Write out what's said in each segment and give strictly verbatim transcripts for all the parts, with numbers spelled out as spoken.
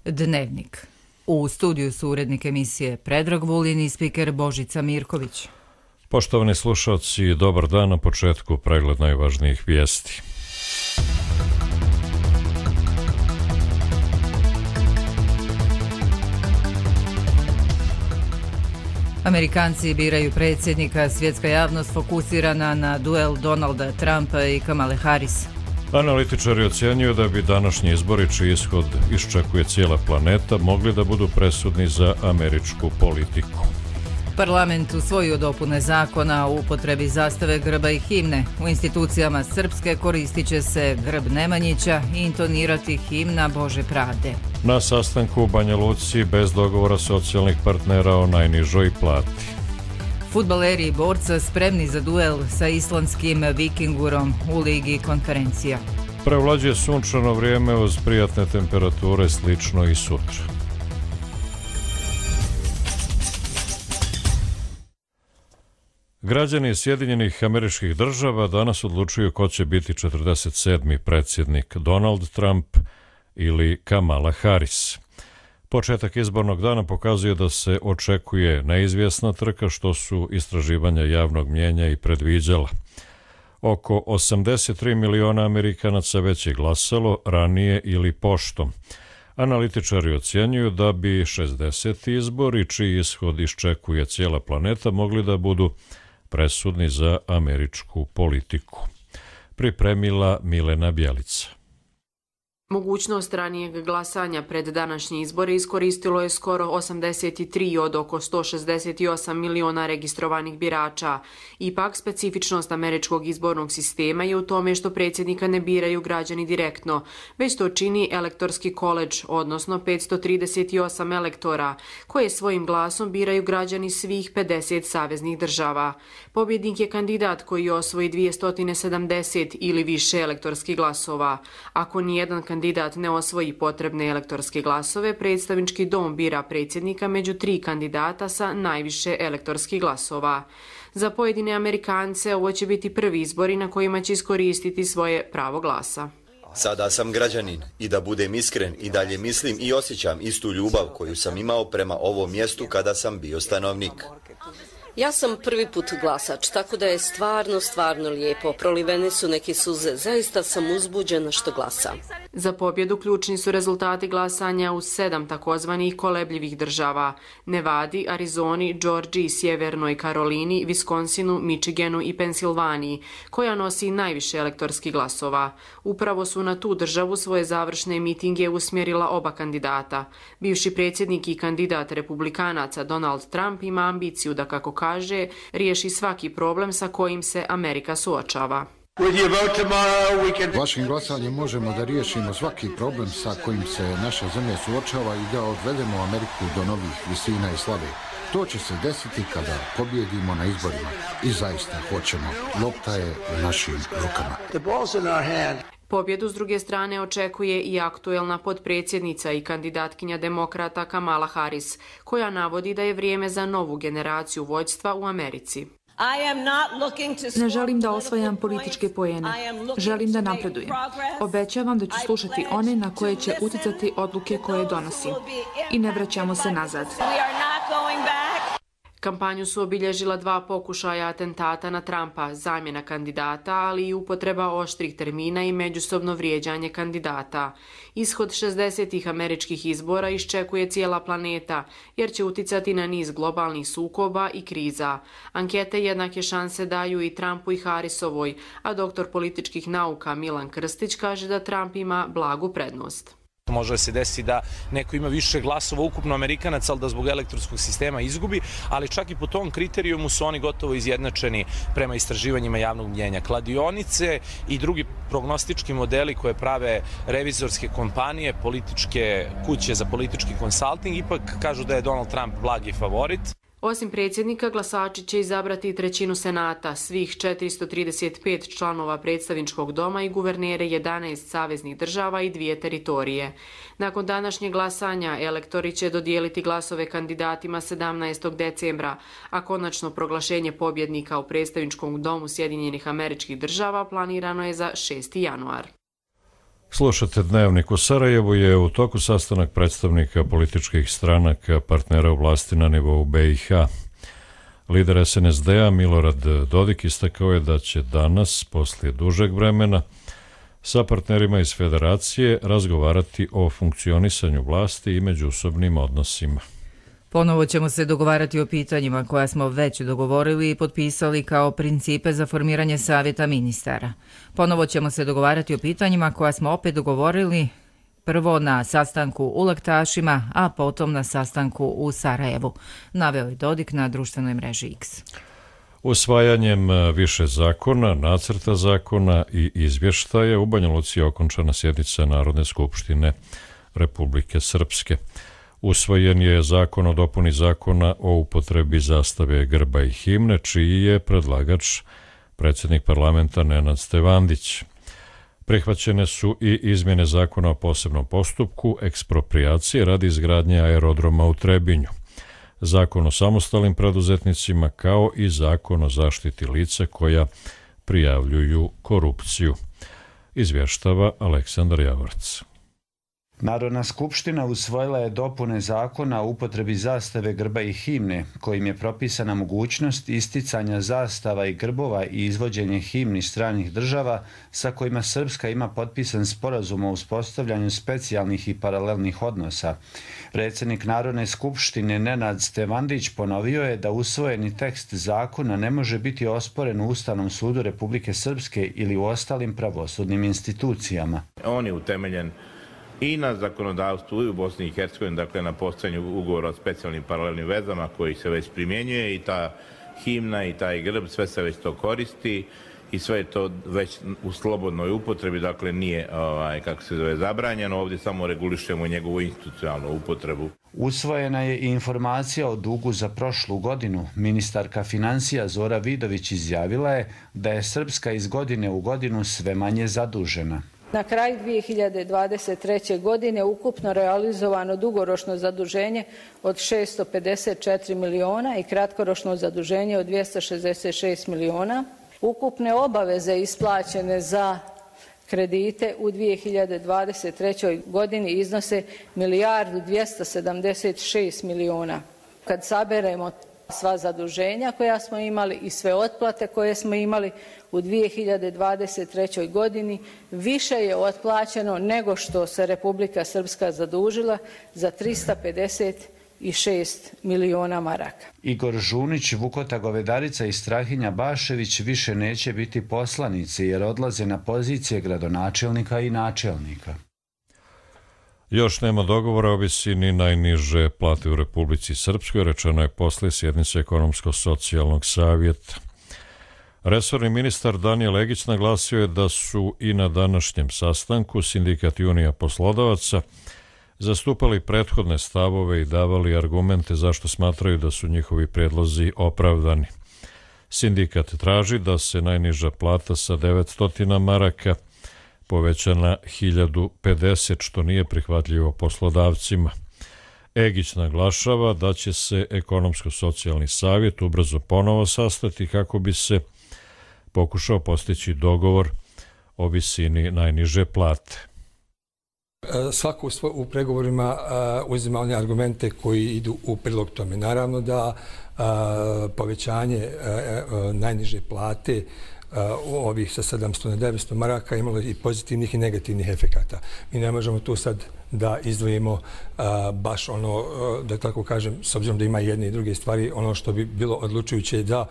Dnevnik. U studiju su urednik emisije Predrag Vulin i spiker Božica Mirković. Poštovani slušalci, dobar dan. Na početku pregled najvažnijih vijesti. Amerikanci biraju predsjednika, svjetska javnost fokusirana na duel Donalda Trumpa i Kamale Harris. Analitičari ocjenjuju da bi današnji izbori, čiji ishod iščekuje cijela planeta, mogli da budu presudni za američku politiku. Parlament usvojio dopune zakona o upotrebi zastave, grba i himne. U institucijama Srpske koristit će se grb Nemanjića i intonirati himna Bože pravde. Na sastanku u Banja Luci bez dogovora socijalnih partnera o najnižoj plati. Fudbaleri Borca spremni za duel sa islandskim Vikingurom u Ligi konferencija. Prevlađuje sunčano vrijeme uz prijatne temperature, slično i sutra. Građani Sjedinjenih Američkih Država danas odlučuju ko će biti četrdeset sedmi predsjednik, Donald Trump ili Kamala Harris. Početak izbornog dana pokazuje da se očekuje neizvjesna trka, što su istraživanja javnog mnijenja i predviđala. Oko osamdeset tri miliona Amerikanaca već je glasalo ranije ili poštom. Analitičari ocjenjuju da bi šezdeseti izbori, čiji ishod iščekuje cijela planeta, mogli da budu presudni za američku politiku. Pripremila Milena Bjelica. Mogućnost ranijeg glasanja pred današnji izbore iskoristilo je skoro osamdeset tri od oko sto šezdeset osam miliona registrovanih birača. Ipak, specifičnost američkog izbornog sistema je u tome što predsjednika ne biraju građani direktno, već to čini elektorski koledž, odnosno petsto trideset osam elektora, koje svojim glasom biraju građani svih pedeset saveznih država. Pobjednik je kandidat koji osvoji dvjesto sedamdeset ili više elektorskih glasova. Ako nijedan kandidat kandidat ne osvoji potrebne elektorske glasove, predstavnički dom bira predsjednika među tri kandidata sa najviše elektorskih glasova. Za pojedine Amerikance ovo će biti prvi izbori na kojima će iskoristiti svoje pravo glasa. Sada sam građanin i da budem iskren i dalje mislim i osjećam istu ljubav koju sam imao prema ovom mjestu kada sam bio stanovnik. Ja sam prvi put glasač, tako da je stvarno, stvarno lijepo. Prolivene su neke suze, zaista sam uzbuđena što glasam. Za pobjedu ključni su rezultati glasanja u sedam takozvanih kolebljivih država: Nevadi, Arizoni, Džordžiji, Sjevernoj Karolini, Viskonsinu, Michiganu i Pensilvaniji, koja nosi najviše elektorskih glasova. Upravo su na tu državu svoje završne mitinge usmjerila oba kandidata. Bivši predsjednik i kandidat republikanaca Donald Trump ima ambiciju da, kako kaže, riješi svaki problem sa kojim se Amerika suočava. Vašim glasanjem možemo da riješimo svaki problem sa kojim se naša zemlja suočava i da odvedemo Ameriku do novih visina i slave. To će se desiti kada pobjedimo na izborima. I zaista hoćemo. Lopta je u našim rukama. Pobjedu s druge strane očekuje i aktuelna potpredsjednica i kandidatkinja demokrata Kamala Harris, koja navodi da je vrijeme za novu generaciju vođstva u Americi. Ne želim da osvajam političke poene. Želim da napredujem. Obećavam da ću slušati one na koje će uticati odluke koje donosim. I ne vraćamo se nazad. Kampanju su obilježila dva pokušaja atentata na Trumpa, zamjena kandidata, ali i upotreba oštrih termina i međusobno vrijeđanje kandidata. Ishod šezdesetih američkih izbora iščekuje cijela planeta, jer će uticati na niz globalnih sukoba i kriza. Ankete jednake šanse daju i Trumpu i Harrisovoj, a doktor političkih nauka Milan Krstić kaže da Trump ima blagu prednost. Može da se desi da neko ima više glasova ukupno Amerikanaca, ali da zbog elektronskog sistema izgubi, ali čak i po tom kriterijumu su oni gotovo izjednačeni prema istraživanjima javnog mnjenja. Kladionice i drugi prognostički modeli koje prave revizorske kompanije, političke kuće za politički konsalting, ipak kažu da je Donald Trump blagi favorit. Osim predsjednika, glasači će izabrati trećinu senata, svih četiristo trideset pet članova predstavničkog doma i guvernere jedanaest saveznih država i dvije teritorije. Nakon današnjeg glasanja, elektori će dodijeliti glasove kandidatima sedamnaestog decembra, a konačno proglašenje pobjednika u predstavničkom domu Sjedinjenih Američkih Država planirano je za šesti januar. Slušate Dnevnik. U Sarajevu je u toku sastanak predstavnika političkih stranaka partnera u vlasti na nivou B i H. Lider S N S D-a Milorad Dodik istakao je da će danas, poslije dužeg vremena, sa partnerima iz Federacije razgovarati o funkcionisanju vlasti i međusobnim odnosima. Ponovo ćemo se dogovarati o pitanjima koja smo već dogovorili i potpisali kao principe za formiranje savjeta ministara. Ponovo ćemo se dogovarati o pitanjima koja smo opet dogovorili prvo na sastanku u Laktašima, a potom na sastanku u Sarajevu, naveo je Dodik na društvenoj mreži X. Usvajanjem više zakona, nacrta zakona i izvještaja u Banja Luci je okončana sjednica Narodne skupštine Republike Srpske. Usvojen je zakon o dopuni zakona o upotrebi zastave, grba i himne, čiji je predlagač predsjednik parlamenta Nenad Stevandić. Prihvaćene su i izmjene zakona o posebnom postupku eksproprijacije radi izgradnje aerodroma u Trebinju, zakon o samostalnim preduzetnicima kao i zakon o zaštiti lica koja prijavljuju korupciju. Izvještava Aleksandar Javorac. Narodna skupština usvojila je dopune zakona o upotrebi zastave, grba i himne, kojim je propisana mogućnost isticanja zastava i grbova i izvođenje himni stranih država sa kojima Srpska ima potpisan sporazum o uspostavljanju specijalnih i paralelnih odnosa. Predsjednik Narodne skupštine Nenad Stevandić ponovio je da usvojeni tekst zakona ne može biti osporen u Ustavnom sudu Republike Srpske ili u ostalim pravosudnim institucijama. On je utemeljen i na zakonodavstvu i u Bosni i Hercegovini, dakle na postojanju ugovora o specijalnim paralelnim vezama koji se već primjenjuje i ta himna i taj grb, sve se već to koristi i sve je to već u slobodnoj upotrebi, dakle nije, ovaj, kako se zove, zabranjeno, ovdje samo regulišemo njegovu institucionalnu upotrebu. Usvojena je i informacija o dugu za prošlu godinu. Ministarka financija Zora Vidović izjavila je da je Srpska iz godine u godinu sve manje zadužena. Na kraju dvije hiljade dvadeset treće. godine ukupno realizovano dugoročno zaduženje od šesto pedeset četiri miliona i kratkoročno zaduženje od dvjesto šezdeset šest miliona. Ukupne obaveze isplaćene za kredite u dvije hiljade dvadeset trećoj. godini iznose milijardu dvjesto sedamdeset šest miliona. Kad saberemo sva zaduženja koja smo imali i sve otplate koje smo imali u dvije hiljade dvadeset trećoj. godini, više je otplaćeno nego što se Republika Srpska zadužila za tristo pedeset šest miliona maraka. Igor Žunić, Vukota Govedarica i Strahinja Bašević više neće biti poslanici jer odlaze na pozicije gradonačelnika i načelnika. Još nema dogovora o visini najniže plate u Republici Srpskoj, rečeno je posle sjednice Ekonomsko-socijalnog savjeta. Resorni ministar Danijel Legić naglasio je da su i na današnjem sastanku Sindikat i Unija poslodavaca zastupali prethodne stavove i davali argumente zašto smatraju da su njihovi predlozi opravdani. Sindikat traži da se najniža plata sa devetsto maraka poveća na hiljadu pedeset, što nije prihvatljivo poslodavcima. Egić naglašava da će se Ekonomsko-socijalni savjet ubrzo ponovo sastati kako bi se pokušao postići dogovor o visini najniže plate. Svako u pregovorima uzima one argumente koji idu u prilog tome. Naravno da povećanje najniže plate ovih sa sedamsto na devetsto maraka imalo i pozitivnih i negativnih efekata. Mi ne možemo tu sad da izdvojimo baš ono, da tako kažem, s obzirom da ima jedne i druge stvari, ono što bi bilo odlučujuće da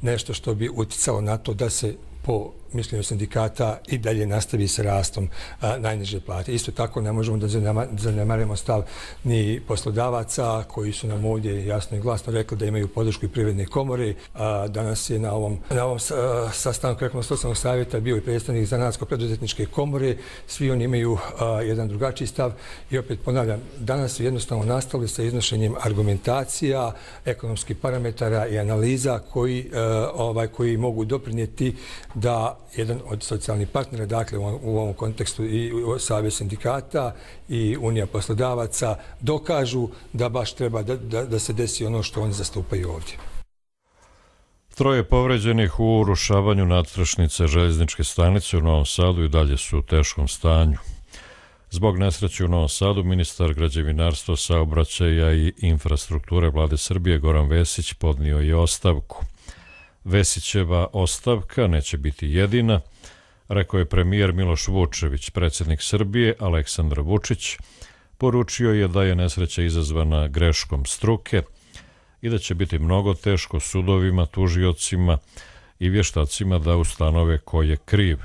nešto što bi uticalo na to da se po mišljenju sindikata i dalje nastavi sa rastom a, najniže plate. Isto tako ne možemo da zanemarimo stav ni poslodavaca koji su nam ovdje jasno i glasno rekli da imaju podršku i Privredne komore. A, danas je na ovom, na ovom a, sastanku Ekonomsko-socijalnog savjeta bio i predstavnik Zanatsko-preduzetničke komore. Svi oni imaju a, jedan drugačiji stav i opet ponavljam, danas su jednostavno nastavili sa iznošenjem argumentacija, ekonomskih parametara i analiza koji, a, ovaj, koji mogu doprinijeti da jedan od socijalnih partnera, dakle u ovom kontekstu i Savez sindikata i Unija poslodavaca, dokažu da baš treba da, da, da se desi ono što oni zastupaju ovdje. Troje povređenih u urušavanju nadstrešnice željezničke stanice u Novom Sadu i dalje su u teškom stanju. Zbog nesreće u Novom Sadu, ministar građevinarstva, saobraćaja i infrastrukture Vlade Srbije Goran Vesić podnio je ostavku. Vesićeva ostavka neće biti jedina, rekao je premijer Miloš Vučević. Predsjednik Srbije Aleksandar Vučić poručio je da je nesreća izazvana greškom struke i da će biti mnogo teško sudovima, tužiocima i vještacima da ustanove ko je kriv.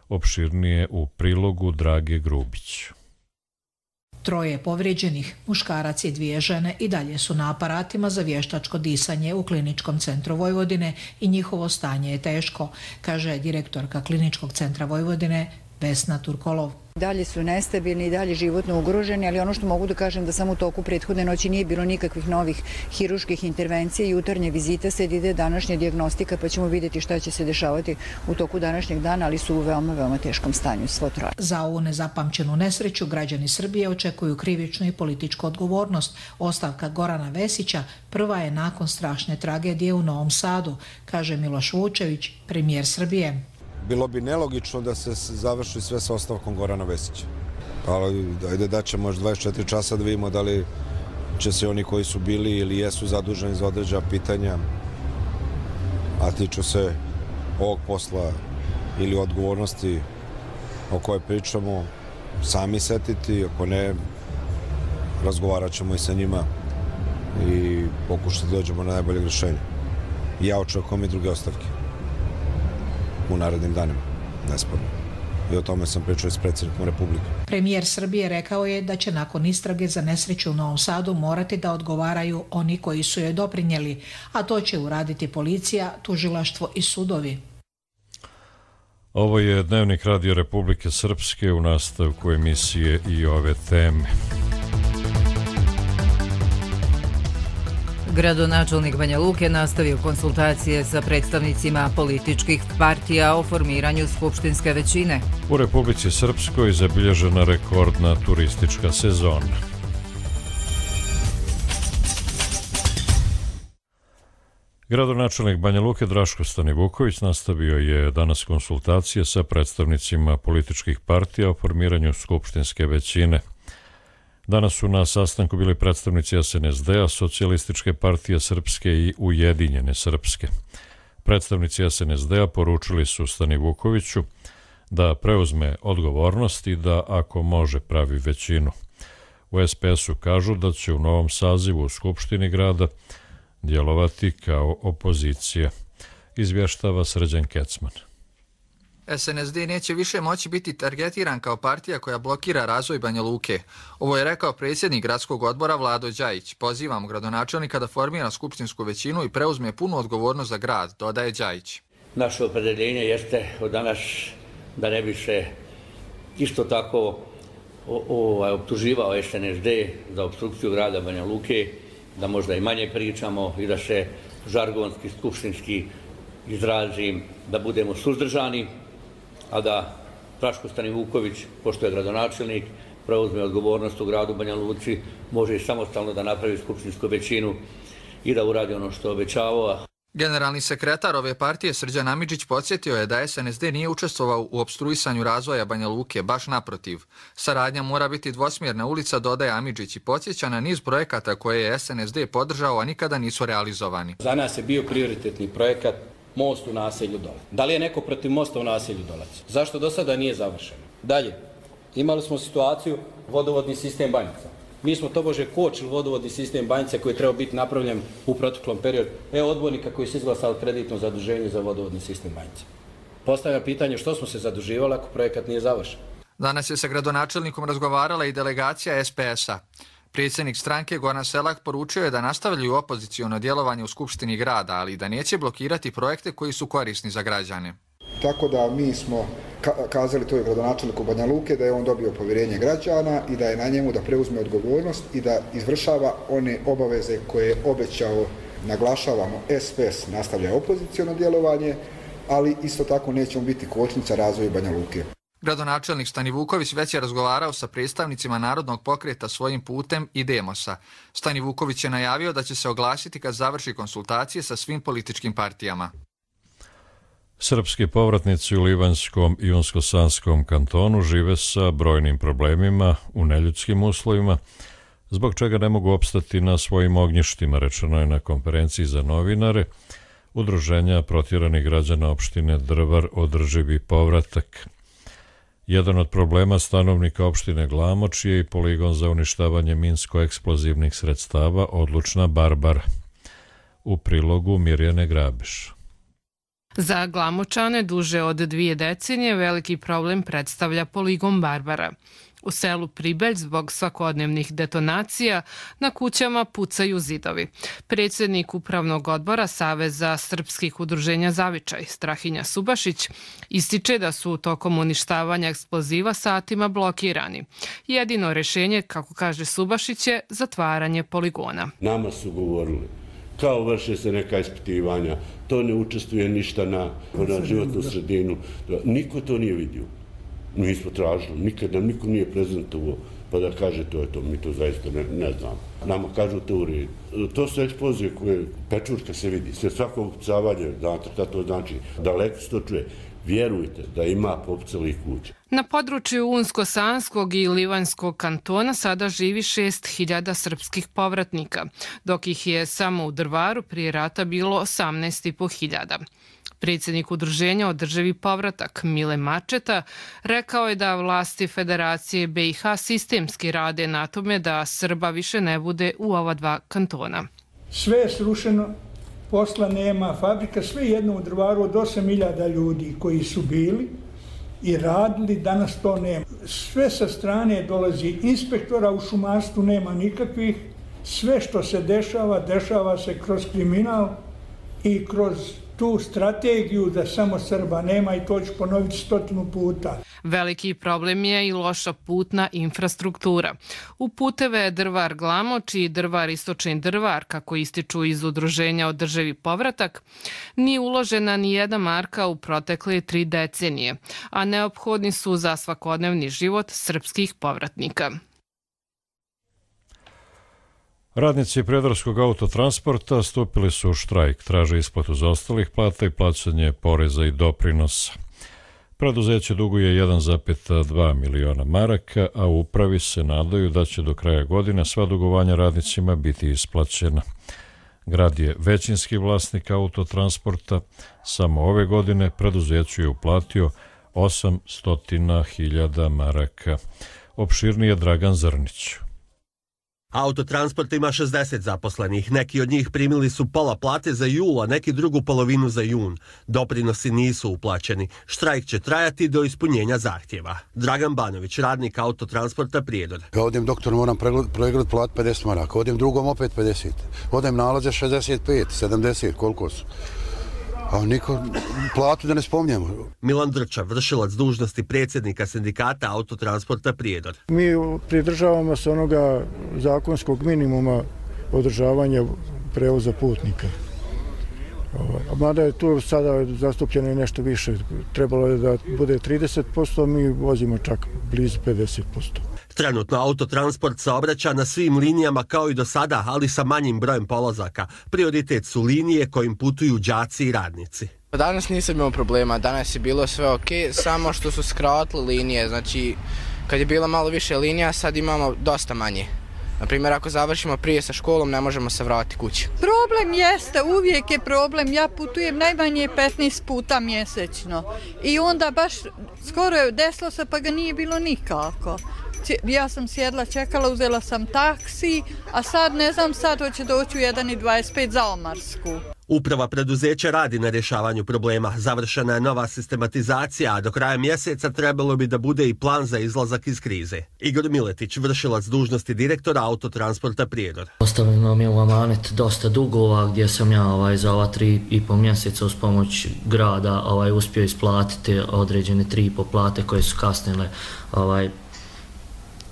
Opširnije u prilogu Drage Grubić. Troje povrijeđenih, muškarac i dvije žene, i dalje su na aparatima za vještačko disanje u Kliničkom centru Vojvodine i njihovo stanje je teško, kaže direktorka Kliničkog centra Vojvodine Vesna Turkolov. Dalje su nestabilni i dalje životno ugroženi, ali ono što mogu da kažem da samo u toku prethodne noći nije bilo nikakvih novih hiruških intervencija. Jutarnje vizita se ide današnja dijagnostika, pa ćemo vidjeti šta će se dešavati u toku današnjeg dana, ali su u veoma, veoma teškom stanju svo troje. Za ovu nezapamćenu nesreću građani Srbije očekuju krivičnu i političku odgovornost. Ostavka Gorana Vesića prva je nakon strašne tragedije u Novom Sadu, kaže Miloš Vučević, premijer Srbije. Bilo bi nelogično da se završi sve sa ostavkom Gorana Vesića. Ali ajde da ćemo još dvadeset četiri časa da vidimo da li će se oni koji su bili ili jesu zaduženi za određena pitanja, a tiču se ovog posla ili odgovornosti o kojoj pričamo, sami setiti. Ako ne, razgovarat ćemo i sa njima i pokušati da dođemo na najbolje rješenje. Ja očekujem i druge ostavke u narednim danima, nesporno. I o tome sam pričao s predsjednikom Republike. Premijer Srbije rekao je da će nakon istrage za nesreću u Novom Sadu morati da odgovaraju oni koji su joj doprinijeli, a to će uraditi policija, tužilaštvo i sudovi. Ovo je Dnevnik Radio Republike Srpske, u nastavku emisije i ove teme. Gradonačelnik Banja Luke nastavio konsultacije sa predstavnicima političkih partija o formiranju skupštinske većine. U Republici Srpskoj zabilježena rekordna turistička sezona. Gradonačelnik Banja Luke Draško Stanivuković nastavio je danas konsultacije sa predstavnicima političkih partija o formiranju skupštinske većine. Danas su na sastanku bili predstavnici S N S D-a, Socijalističke partije Srpske i Ujedinjene Srpske. Predstavnici S N S D-a poručili su Stanivukoviću da preuzme odgovornost i da, ako može, pravi većinu. U S P S-u kažu da će u novom sazivu u Skupštini grada djelovati kao opozicija, izvještava Srđan Kecman. S N S D neće više moći biti targetiran kao partija koja blokira razvoj Banja Luke. Ovo je rekao predsjednik gradskog odbora Vlado Đajić. Pozivamo gradonačelnika da formira skupštinsku većinu i preuzme punu odgovornost za grad, dodaje Đajić. Naše opredeljenje jeste od danas da ne bi se isto tako ovaj, optuživao S N S D za obstrukciju grada Banja Luke, da možda i manje pričamo i da se žargonski, skupštinski izrazim, da budemo suzdržani, a da Draško Stanivuković, pošto je gradonačelnik, preuzme odgovornost u gradu Banja Luci, može i samostalno da napravi skupštinsku većinu i da uradi ono što obećavao. Generalni sekretar ove partije Srđan Amidžić podsjetio je da S N S D nije učestvovao u opstruisanju razvoja Banja Luke, baš naprotiv. Saradnja mora biti dvosmjerna ulica, dodaje Amidžić i podsjeća na niz projekata koje je S N S D podržao, a nikada nisu realizovani. Za nas je bio prioritetni projekat most u naselju Dolac. Da li je neko protiv mosta u naselju Dolac? Zašto do sada nije završeno? Dalje, imali smo situaciju vodovodni sistem Banjica. Mi smo tobože kočili vodovodni sistem Banjica koji je trebao biti napravljen u proteklom periodu. Evo odbornika koji su izglasali kreditno zaduženje za vodovodni sistem Banjica. Postavljam pitanje što smo se zaduživali ako projekat nije završen. Danas je sa gradonačelnikom razgovarala i delegacija S P S-a. Predsjednik stranke Goran Selak poručio je da nastavljaju opoziciono djelovanje u Skupštini grada, ali da neće blokirati projekte koji su korisni za građane. Tako da mi smo kazali toj gradonačelniku Banja Luke da je on dobio povjerenje građana i da je na njemu da preuzme odgovornost i da izvršava one obaveze koje je obećao. Naglašavamo, S P S nastavlja opoziciono djelovanje, ali isto tako nećemo biti kočnica razvoju Banja Luke. Gradonačelnik Stanivuković već je razgovarao sa predstavnicima Narodnog pokreta Svojim putem i Demosa. Stanivuković je najavio da će se oglasiti kad završi konsultacije sa svim političkim partijama. Srpski povratnici u Livanjskom i Unsko-Sanskom kantonu žive sa brojnim problemima u neljudskim uslovima, zbog čega ne mogu opstati na svojim ognjištima, rečeno je na konferenciji za novinare Udruženja protjeranih građana opštine Drvar održivi povratak. Jedan od problema stanovnika opštine Glamoč je i poligon za uništavanje minsko-eksplozivnih sredstava Odlučna Barbara. U prilogu Mirjane Grabiš. Za Glamočane duže od dvije decenije veliki problem predstavlja poligon Barbara. U selu Pribelj zbog svakodnevnih detonacija na kućama pucaju zidovi. Predsjednik Upravnog odbora Saveza srpskih udruženja Zavičaj, Strahinja Subašić, ističe da su tokom uništavanja eksploziva satima blokirani. Jedino rješenje, kako kaže Subašić, je zatvaranje poligona. Nama su govorili, kao vrše se neka ispitivanja, to ne učestvuje ništa na, na životnu sredinu. Niko to nije vidio. Mi smo tražili, nikad nam niko nije prezentovao, pa da kaže to je to, mi to zaista ne, ne znamo. Nama kažu to u redu. To su eksplozije koje, pečurka se vidi, sve svako upucavanje, znate šta to znači, daleko se to čuje. Vjerujte da ima popucalih kuća. Na području Unsko-Sanskog i Livanjskog kantona sada živi šest hiljada srpskih povratnika, dok ih je samo u Drvaru prije rata bilo osamnaest i po hiljada. Predsjednik Udruženja Održivi povratak Mile Mačeta rekao je da vlasti Federacije B i H sistemski rade na tome da Srba više ne bude u ova dva kantona. Sve je srušeno, posla nema, fabrika, sve jedno u Drvaru od osam hiljada ljudi koji su bili i radili, danas to nema. Sve sa strane dolazi inspektora, u šumarstvu nema nikakvih, sve što se dešava, dešava se kroz kriminal i kroz tu strategiju da samo Srba nema, i to ću ponoviti stotinu puta. Veliki problem je i loša putna infrastruktura. U puteve Drvar Glamoč i Drvar Istočni Drvar, kako ističu iz Udruženja Održivi povratak, nije uložena ni jedna marka u protekle tri decenije, a neophodni su za svakodnevni život srpskih povratnika. Radnici Prijedorskog autotransporta stupili su u štrajk, traže isplatu zaostalih plata i plaćanje poreza i doprinosa. Preduzeće duguje jedan zarez dva miliona maraka, a u upravi se nadaju da će do kraja godine sva dugovanja radnicima biti isplaćena. Grad je većinski vlasnik autotransporta, samo ove godine preduzeću je uplatio osamsto hiljada maraka. Opširnije Dragan Zrnić. Autotransport ima šezdeset zaposlenih. Neki od njih primili su pola plate za jul, a neki drugu polovinu za jun. Doprinosi nisu uplaćeni. Štrajk će trajati do ispunjenja zahtjeva. Dragan Banović, radnik autotransporta Prijedor. Ja odem doktor, moram pregledati plat pedeset maraka, odem drugom opet pedeset. Odem nalaze šezdeset pet, sedamdeset, koliko su. A niko platu da ne spominjemo. Milan Drča, vršilac dužnosti predsjednika sindikata autotransporta Prijedor. Mi pridržavamo se onoga zakonskog minimuma održavanja prevoza putnika. Mada je tu sada zastupljeno nešto više. Trebalo je da bude trideset posto, mi vozimo čak blizu pedeset posto. Trenutno autotransport saobraća na svim linijama kao i do sada, ali sa manjim brojem polazaka. Prioritet su linije kojim putuju đaci i radnici. Danas nisam imao problema, danas je bilo sve ok, samo što su skratili linije. Znači, kad je bilo malo više linija, sad imamo dosta manje. Naprimjer, ako završimo prije sa školom, ne možemo se vratiti kući. Problem jeste, uvijek je problem. Ja putujem najmanje petnaest puta mjesečno. I onda baš skoro je desilo se, pa ga nije bilo nikako. Ja sam sjedla, čekala, uzela sam taksi, a sad ne znam, sad hoće doći u jedan i dvadeset pet za Omarsku. Uprava preduzeća radi na rješavanju problema. Završena je nova sistematizacija, a do kraja mjeseca trebalo bi da bude i plan za izlazak iz krize. Igor Miletić, vršilac dužnosti direktora autotransporta Prijedor. Ostavljeno mi je u amanet dosta dugova gdje sam ja ovaj, za ova tri i po mjeseca uz pomoć grada ovaj, uspio isplatiti određene tri i po plate koje su kasnile ovaj,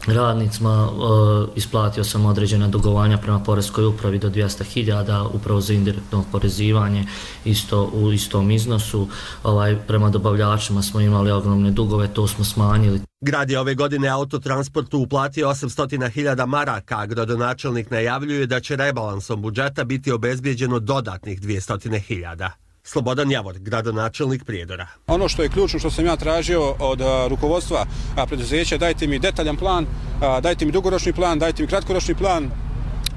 radnicima. Uh, isplatio sam određena dugovanja prema poreskoj upravi do dvjesto hiljada, upravo za indirektno oporezivanje isto u istom iznosu. Ovaj, prema dobavljačima smo imali ogromne dugove, to smo smanjili. Grad je ove godine autotransportu uplatio osamsto hiljada maraka, a gradonačelnik najavljuje da će rebalansom budžeta biti obezbijeđeno dodatnih dvjesto hiljada. Slobodan Javor, gradonačelnik Prijedora. Ono što je ključno što sam ja tražio od a, rukovodstva a, preduzeća, dajte mi detaljan plan, a, dajte mi dugoročni plan, dajte mi kratkoročni plan,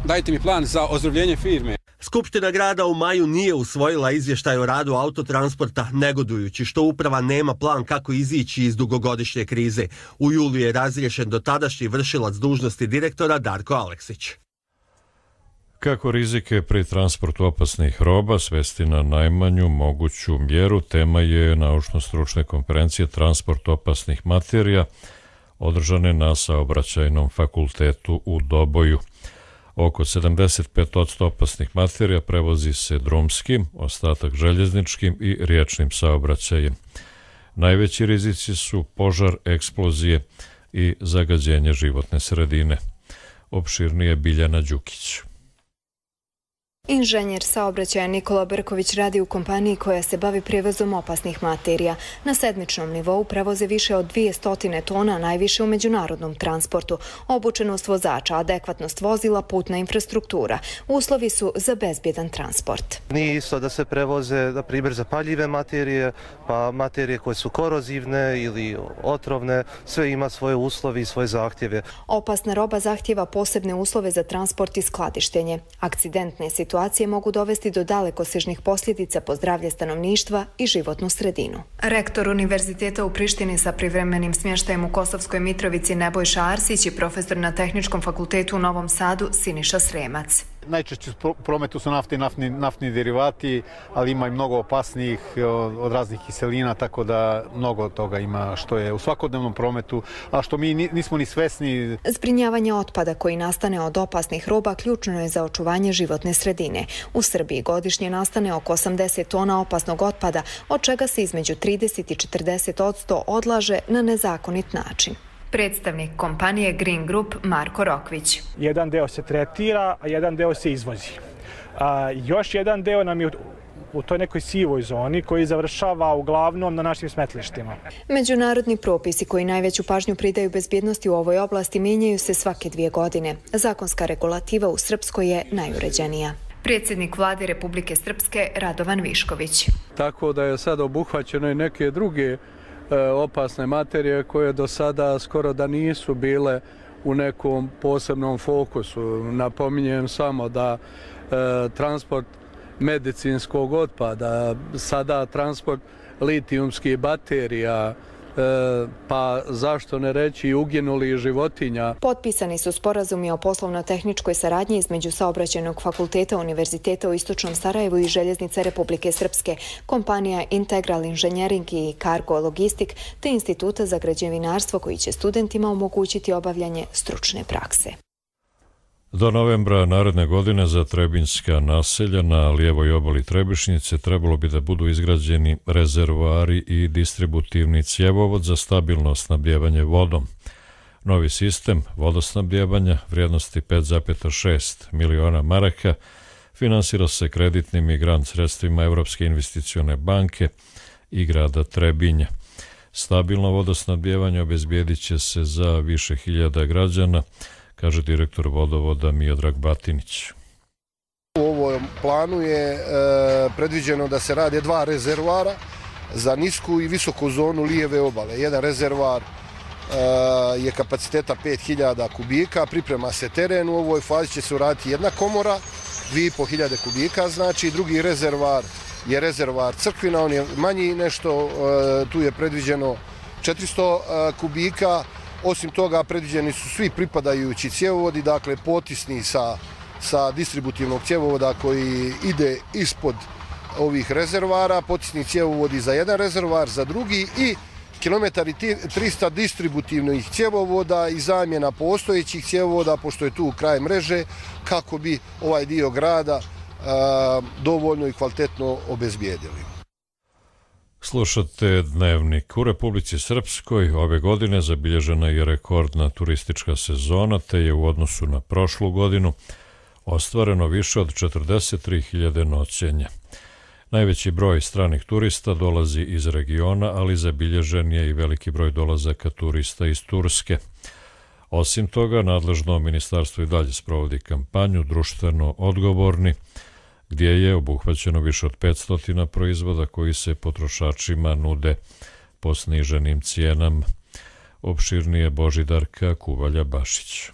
dajte mi plan za ozdravljenje firme. Skupština grada u maju nije usvojila izvještaj o radu autotransporta, negodujući što uprava nema plan kako izići iz dugogodišnje krize. U julu je razriješen dotadašnji vršilac dužnosti direktora Darko Aleksić. Kako rizike pri transportu opasnih roba svesti na najmanju moguću mjeru, tema je naučno-stručne konferencije Transport opasnih materija, održane na Saobraćajnom fakultetu u Doboju. Oko sedamdeset pet posto opasnih materija prevozi se drumskim, ostatak željezničkim i riječnim saobraćajem. Najveći rizici su požar, eksplozije i zagađenje životne sredine. Opširnije Biljana Đukić. Inženjer saobraćaja Nikola Brković radi u kompaniji koja se bavi prijevozom opasnih materija. Na sedmičnom nivou prevoze više od dvjesto tona, najviše u međunarodnom transportu. Obučenost vozača, adekvatnost vozila, putna infrastruktura. Uslovi su za bezbjedan transport. Nije isto da se prevoze, na primjer, zapaljive materije, pa materije koje su korozivne ili otrovne, sve ima svoje uslovi i svoje zahtjeve. Opasna roba zahtjeva posebne uslove za transport i skladištenje. Akcidentne situacije Situacije mogu dovesti do dalekosežnih posljedica po zdravlje stanovništva i životnu sredinu. Rektor Univerziteta u Prištini sa privremenim smještajem u Kosovskoj Mitrovici Nebojša Arsić i profesor na Tehničkom fakultetu u Novom Sadu Siniša Sremac. Najčešće u prometu su nafte i naftni, naftni derivati, ali ima i mnogo opasnijih od raznih kiselina, tako da mnogo toga ima što je u svakodnevnom prometu, a što mi nismo ni svesni. Zbrinjavanje otpada koji nastane od opasnih roba ključno je za očuvanje životne sredine. U Srbiji godišnje nastane oko osamdeset tona opasnog otpada, od čega se između trideset i četrdeset posto odlaže na nezakonit način. Predstavnik kompanije Green Group Marko Rokvić. Jedan deo se tretira, a jedan deo se izvozi. A, još jedan deo nam je u toj nekoj sivoj zoni koji završava uglavnom na našim smetlištima. Međunarodni propisi koji najveću pažnju pridaju bezbjednosti u ovoj oblasti mijenjaju se svake dvije godine. Zakonska regulativa u Srpskoj je najuređenija. Predsjednik vlade Republike Srpske Radovan Višković. Tako da je sad obuhvaćeno i neke druge opasne materije koje do sada skoro da nisu bile u nekom posebnom fokusu. Napominjem samo da e, transport medicinskog otpada, sada transport litijumskih baterija, pa zašto ne reći i uginulih životinja. Potpisani su sporazumi o poslovno-tehničkoj saradnji između Saobraćajnog fakulteta Univerziteta u Istočnom Sarajevu i Željeznice Republike Srpske, kompanija Integral Inženjering i Cargo Logistik te Instituta za građevinarstvo koji će studentima omogućiti obavljanje stručne prakse. Do novembra naredne godine za Trebinjska naselja na lijevoj obali Trebišnjice trebalo bi da budu izgrađeni rezervoari i distributivni cjevovod za stabilno snabdijevanje vodom. Novi sistem vodosnabdijevanja vrijednosti pet zarez šest miliona maraka finansira se kreditnim i grant sredstvima Evropske investicione banke i grada Trebinja. Stabilno vodosnabdijevanje obezbijedit će se za više hiljada građana, kaže direktor vodovoda Miodrag Batinić. U ovom planu je e, predviđeno da se rade dva rezervoara za nisku i visoku zonu lijeve obale. Jedan rezervoar e, je kapaciteta pet hiljada kubika, priprema se teren, u ovoj fazi će se uraditi jedna komora, dvije i po hiljade kubika, znači drugi rezervoar je rezervoar Crkvina, on je manji nešto, e, tu je predviđeno četiristo e, kubika. Osim toga, predviđeni su svi pripadajući cjevovodi, dakle potisni sa, sa distributivnog cjevovoda koji ide ispod ovih rezervara, potisni cjevovodi za jedan rezervar, za drugi i kilometar i trista distributivnih cjevovoda i zamjena postojećih cjevovoda, pošto je tu kraj mreže, kako bi ovaj dio grada a, dovoljno i kvalitetno obezbijedili. Slušate Dnevnik. U Republici Srpskoj ove godine zabilježena je rekordna turistička sezona, te je u odnosu na prošlu godinu ostvareno više od četrdeset tri hiljade noćenja. Najveći broj stranih turista dolazi iz regiona, ali zabilježen je i veliki broj dolazaka turista iz Turske. Osim toga, nadležno ministarstvo i dalje sprovodi kampanju društveno odgovorni, gdje je obuhvaćeno više od petsto proizvoda koji se potrošačima nude po sniženim cijenama. Opširnije Božidarka Kuvalja-Bašić.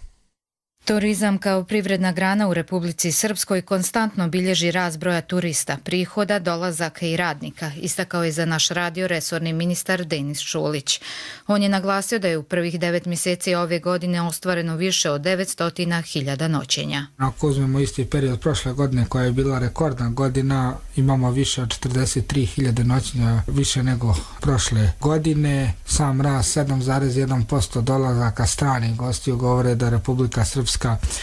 Turizam kao privredna grana u Republici Srpskoj konstantno bilježi rast broja turista, prihoda, dolazaka i radnika, istakao je za naš radio resorni ministar Denis Šulić. On je naglasio da je u prvih devet mjeseci ove godine ostvareno više od devetsto hiljada noćenja. Ako uzmemo isti period prošle godine koja je bila rekordna godina, imamo više od četrdeset tri hiljade noćenja, više nego prošle godine. Sam rast sedam zarez jedan posto dolazaka stranih gostiju govore da Republika Srpska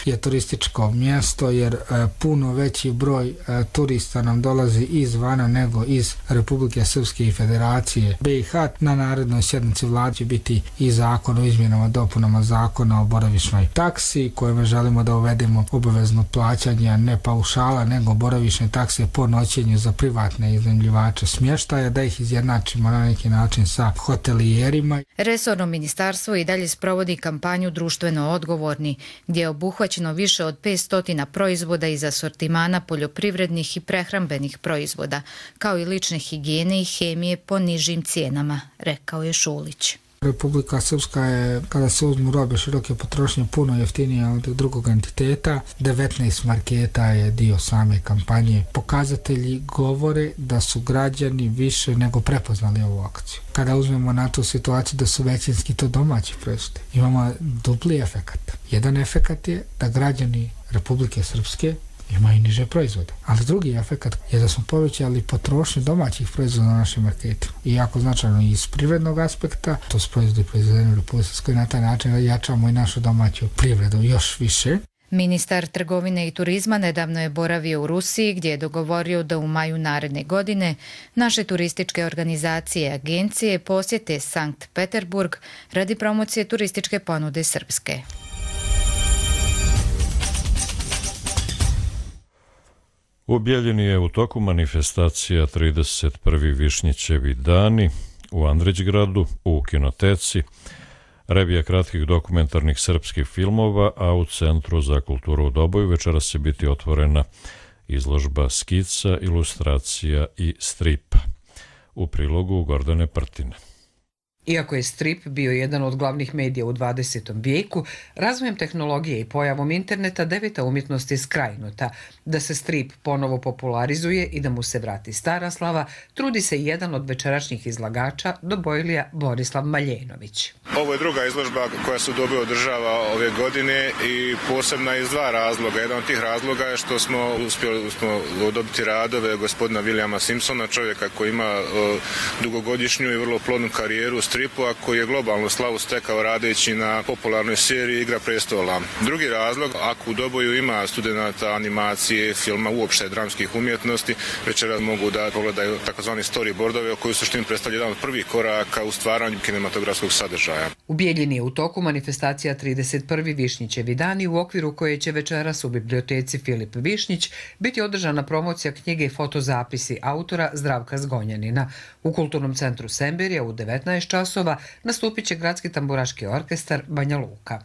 je turističko mjesto, jer e, puno veći broj e, turista nam dolazi izvana nego iz Republike Srpske i Federacije B i H. Na narednoj sjednici vlade će biti i zakon o izmjenama dopunama zakona o boravišnoj taksi, kojima želimo da uvedemo obavezno plaćanje ne paušala nego boravišne takse po noćenju za privatne iznajmljivače smještaja, da ih izjednačimo na neki način sa hotelijerima. Resorno ministarstvo i dalje sprovodi kampanju društveno odgovorni, gdje je obuhvaćeno više od petsto proizvoda iz asortimana poljoprivrednih i prehrambenih proizvoda, kao i lične higijene i hemije po nižim cijenama, rekao je Šulić. Republika Srpska je, kada se uzmu robe široke potrošnje, puno jeftinija od drugog entiteta. devetnaest marketa je dio same kampanje. Pokazatelji govore da su građani više nego prepoznali ovu akciju. Kada uzmemo na tu situaciju da su većinski to domaći proizvodi, imamo dupli efekat. Jedan efekat je da građani Republike Srpske imaju niže proizvode. Ali drugi efekat je da smo povećali potrošnju domaćih proizvoda na našim marketima. I jako značajno iz privrednog aspekta, to su proizvodi proizvedeni u Republike Srpskoj, na taj način jačamo i našu domaću privredu još više. Ministar trgovine i turizma nedavno je boravio u Rusiji, gdje je dogovorio da u maju naredne godine naše turističke organizacije i agencije posjete Sankt Peterburg radi promocije turističke ponude Srpske. U Bijeljini je u toku manifestacija trideset prvi Višnjićevi dani u Andrićgradu, u kinoteci, revija kratkih dokumentarnih srpskih filmova, a u Centru za kulturu u Doboju večeras će biti otvorena izložba skica, ilustracija i stripa. U prilogu Gordane Prtine. Iako je strip bio jedan od glavnih medija u dvadesetom vijeku, razvojem tehnologije i pojavom interneta deveta umjetnost je skrajnuta. Da se strip ponovo popularizuje i da mu se vrati stara slava, trudi se jedan od večerašnjih izlagača, Dobojlija Borislav Maljenović. Ovo je druga izložba koja se u Doboju održava ove godine i posebna iz dva razloga. Jedan od tih razloga je što smo uspjeli smo dobiti radove gospodina Williama Simpsona, čovjeka koji ima uh, dugogodišnju i vrlo plodnu karijeru stripu, a koji je globalnu slavu stekao radeći na popularnoj seriji Igra prestola. Drugi razlog, ako u Doboju ima studenata animacije, filma, uopšte dramskih umjetnosti, večeras mogu da pogledaju takozvani storyboardove koji u suštini predstavlja jedan od prvih koraka u stvaranju kinematografskog sadržaja. U Bijeljini je u toku manifestacija trideset prvi Višnjićevi dani, u okviru koje će večeras u biblioteci Filip Višnjić biti održana promocija knjige Fotozapisi autora Zdravka Zgonjanina. U Kulturnom centru Semberija u devetnaest časova nastupit će Gradski tamburaški orkestar Banja Luka.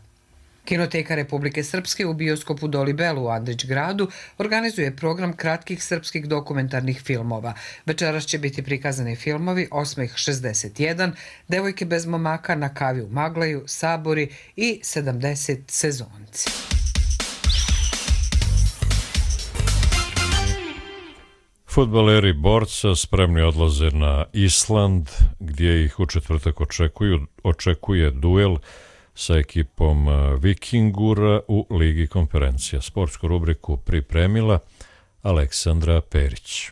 Kinoteka Republike Srpske u bioskopu Dolibelu u Andrićgradu organizuje program kratkih srpskih dokumentarnih filmova. Večeras će biti prikazani filmovi Osmeh šezdeset jedan, Devojke bez momaka, Na kavi u Maglaju, Sabori i sedamdeset sezonci. Fudbaleri Borca spremni odlaze na Island, gdje ih u četvrtak očekuju, očekuje duel sa ekipom Vikingura u Ligi konferencija. Sportsku rubriku pripremila Aleksandra Perić.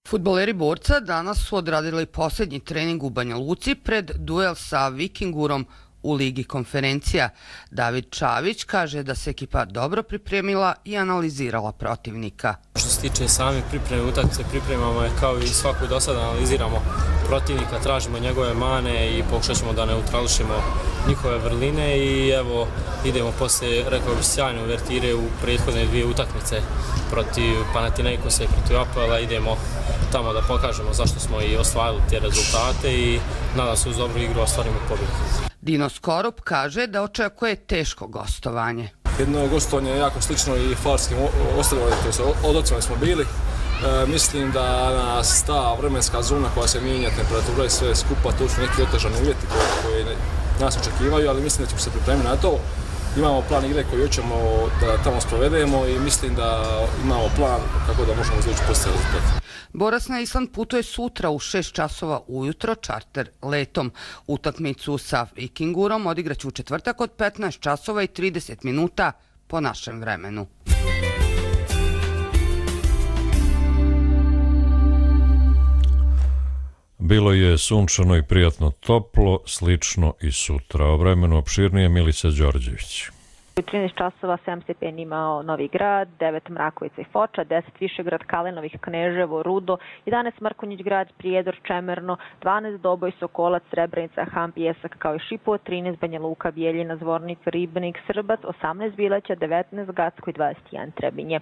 Fudbaleri Borca danas su odradili posljednji trening u Banja Luci pred duel sa Vikingurom u Ligi konferencija. David Čavić kaže da se ekipa dobro pripremila i analizirala protivnika. Što se tiče same pripreme utakmice, pripremamo je kao i svaku do sada, analiziramo protivnika, tražimo njegove mane i pokušat ćemo da neutrališemo njihove vrline i evo idemo posle, rekao bih, sjajne uvertire u prethodne dvije utakmice protiv Panathinaikosa i protiv Apoela. Idemo tamo da pokažemo zašto smo i ostvarili te rezultate i nadam se uz dobru igru ostvarimo pobjedu. Dino Skorup kaže da očekuje teško gostovanje. Jedno gostovanje je jako slično i farskim ostrvima, to su odocima smo bili. E, mislim da nas ta vremenska zona koja se mijenja, temperatura i sve skupa, to su neki otežani uvjeti koji, koji nas očekivaju, ali mislim da ćemo se pripremiti na to. Imamo plan igre koji hoćemo da tamo sprovedemo i mislim da imamo plan kako da možemo izvući pozitivne rezultate. Borac na Island putuje sutra u šest časova ujutro čarter letom. Utakmicu sa Vikingurom odigraće u četvrtak od petnaest časova i trideset minuta po našem vremenu. Bilo je sunčano i prijatno toplo, slično i sutra. O vremenu opširnije Milica Đorđević. U trinaest časova sedam stepeni imao Novi Grad, devet Mrakovica i Foča, deset Višegrad, Kalenovih, Kneževo, Rudo, jedanaest Mrkonjić Grad, Prijedor, Čemerno, dvanaest Doboj, Sokolac, Srebrenica, Han, Pijesak kao i Šipovo, trinaest Banja Luka, Bijeljina, Zvornik, Ribnik, Srbac, osamnaest Bileća, devetnaest Gacko i dvadeset jedan Trebinje.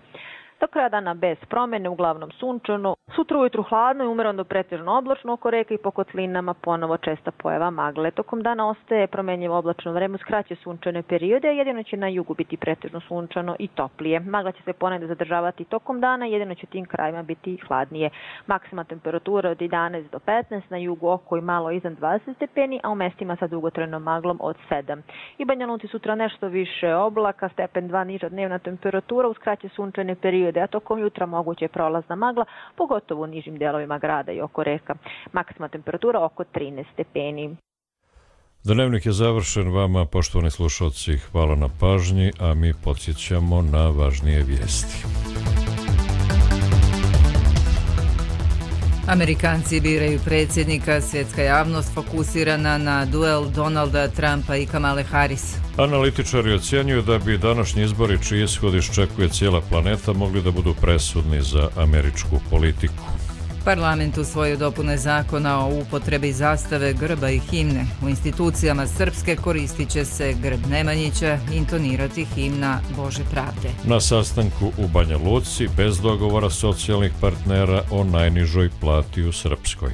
Do kraja dana bez promjene, uglavnom sunčano. Sutra ujutru hladno i umereno pretežno oblačno oko reka i po kotlinama ponovo česta pojava magle. Tokom dana ostaje promjenjivo oblačno vreme uz kraće sunčane periode, jedino će na jugu biti pretežno sunčano i toplije. Magla će se ponegde zadržavati tokom dana, jedino će tim krajima biti hladnije. Maksimalna temperatura od jedanaest do petnaest, na jugu oko i malo iznad dvadeset stepeni, a u mestima sa dugotrajnom maglom od sedam. I Banja Luci sutra nešto više oblaka, stepen dva niža dnevna temperatura uz kraće sunčane periode, a tokom jutra moguće je prolazna magla, pogotovo u nižim delovima grada i oko reka. Maksimalna temperatura oko trinaest stepeni. Dnevnik je završen. Vama, poštovani slušalci, hvala na pažnji, a mi podsjećamo na važnije vijesti. Amerikanci biraju predsjednika, svjetska javnost fokusirana na duel Donalda Trumpa i Kamale Harris. Analitičari ocjenjuju da bi današnji izbori, čiji ishod iščekuje cijela planeta, mogli da budu presudni za američku politiku. Parlament usvojio dopune zakona o upotrebi zastave, grba i himne. U institucijama srpske koristit će se grb Nemanjića, intonirati himna Bože pravde. Na sastanku u Banja Luci bez dogovora socijalnih partnera o najnižoj plati u Srpskoj.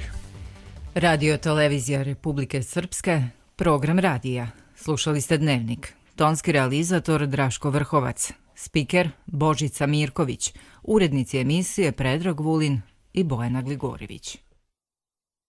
Radio Televizija Republike Srpske, program radija. Slušali ste Dnevnik. Tonski realizator Draško Vrhovac. Spiker Božica Mirković. Urednici emisije Predrag Vulin i Bojana Gligorivić.